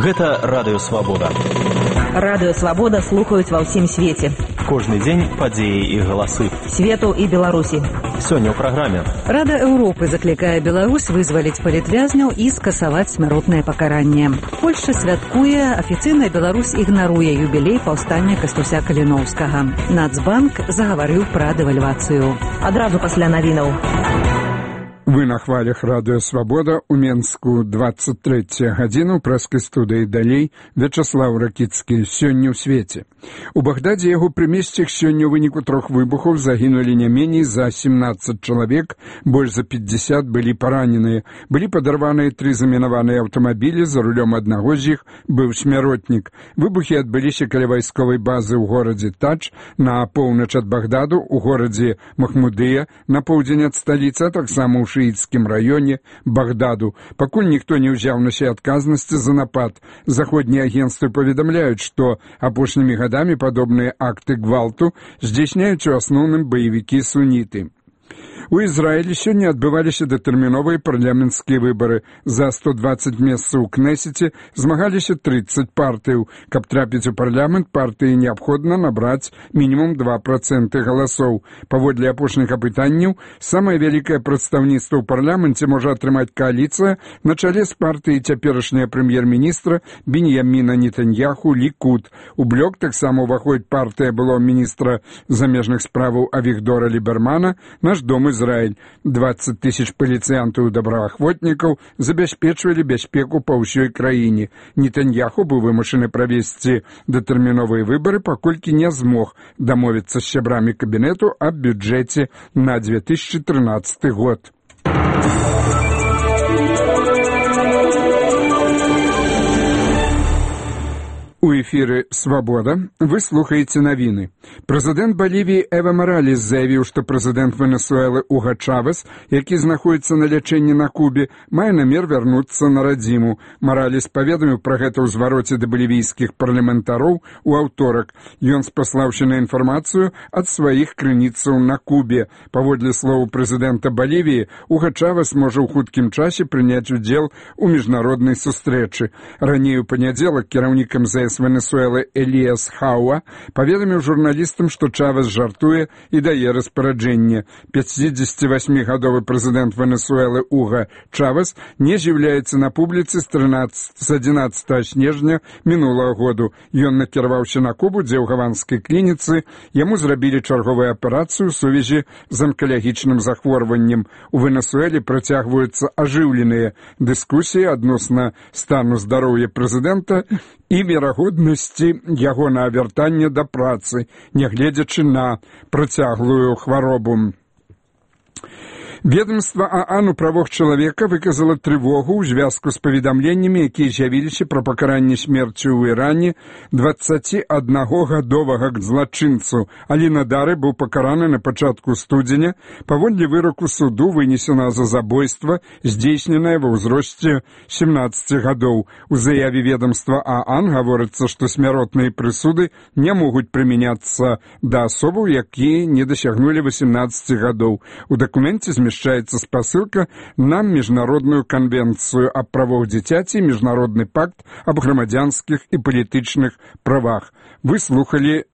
Гэта Радыё Свабода. Радыё Свабода слухаюць ва ўсім свеце. Кожны дзень падзеі і галасы. Свету і Беларусі. Сёння ў праграме. Рада Еўропы заклікае Беларусь вызваліць палітвязняў і скасаваць смяротнае пакаранне. Польшча святкуе, афіцыйна Беларусь ігнаруе юбілей паўстання Кастуся Каліноўскага. Нацбанк загаварыў пра дэвальвацыю. Адразу пасля навінаў. Вы на хвалях Радыё Свабода у Менску 23 гадзіну прэскай студыі далей Вячаслаў Ракіцкі. Сёння ў свеце. У Багдадзе яго прымесцях сёння ў выніку 3 выбухаў загінулі не меней за 17 чалавек, больш за 50 былі параненыя. Былі падарваныя 3 замінаваныя аўтамабілі, за рулём аднаго з іх быў смяротнік. Выбухі адбыліся каля вайсковай базы ў горадзе Тадж, на поўнач ад Багдаду, у горадзе Махмудыя, на поўдзень ад сталіцы, а таксама ў шыіцкім раёне Багдаду. Пакуль ніхто не ўзяў на сябе адказнасці за напад. Заходнія агенцтвы паведамляюць, што апошнімі гадамі падобныя акты гвалту здзяйсняюць у асноўным баевікі-суніты. У Ізраілі сёння адбываліся датэрміновыя парламенцкія выбары. За 120 месцаў у Кнесеце змагаліся 30 партыяў. Каб трапіць у парламент, партыі неабходна набраць мінімум 2% галасоў. Паводле апошніх апытанняў, самае вялікае прадстаўніцтва ў парламенце можа атрымаць кааліцыя на чале з партыяй цяперашняга прэм'ер-міністра Беньяміна Нетаньяху Лікуд. У блок таксама ўваходзіць партыя былога міністра замежных справаў Авігдора Лібермана, Наш дом Израиль. 20 тысяч паліцыянтаў і добраахвотнікаў забяспечвалі бяспеку па ўсёй краіне. Нетаньяху быў вымушаны правесці датэрміновыя выбары, паколькі не змог дамовіцца з сябрамі кабінету аб бюджэце на 2013 год. У эфіры «Свабода» вы слухаеце навіны. Прэзідэнт Балівіі Эва Маралес заявіў, што прэзідэнт Венесуэлы Уга Чавес, які знаходзіцца на лячэнні на Кубе, мае намер вярнуцца на радзіму. Маралес паведаміў пра гэта ў звароце да балівійскіх парламентароў у аўторак. Ён спаслаўся на інфармацыю ад сваіх крыніцаў на Кубе. Паводле слову прэзідэнта Балівіі, Уга Чавес можа ў хуткім часе прыняць удзел у міжнароднай сустрэчы. Раней у панядзелак кіраўнік МЗС Венесуэлы Эліяс Хауа паведаміў журналістам, што Чавес жартуе і дае распараджэнне. 58-гадовы прэзідэнт Венесуэлы Уга Чавес не з'яўляецца на публіцы з 11 снежня мінулага году. Ён накіраваўся на Кубу, дзе ў гаванскай клініцы яму зрабілі чарговую аперацыю ў сувязі з анкалагічным захворваннем. У Венесуэле працягваюцца ажыўленыя дыскусіі адносна стану здароўя прэзідэнта і верагоднасці яго на вяртанне да працы, нягледзячы на працяглую хваробу. Ведомство ААН у правах чалавека выказала трывогу ў звязку з паведамленнямі, якія з'явіліся пра пакаранне смерцю ў Іране 21-гадовага злачынцу. Алі Надары быў пакараны на пачатку студзеня паводле выроку суду, вынесена за забойства, здзейсненае ва ўзросце 17 гадоў. У заяве ведомства ААН гаворыцца, што смяротныя прысуды не могуць прымяняцца да асобаў, якія не дасягнулі 18 гадоў. У дакуменце змяшчаецца спасылка на міжнародную канвенцыю аб правах дзіцяці і міжнародны пакт аб грамадзянскіх і палітычных правах. Вы слухалі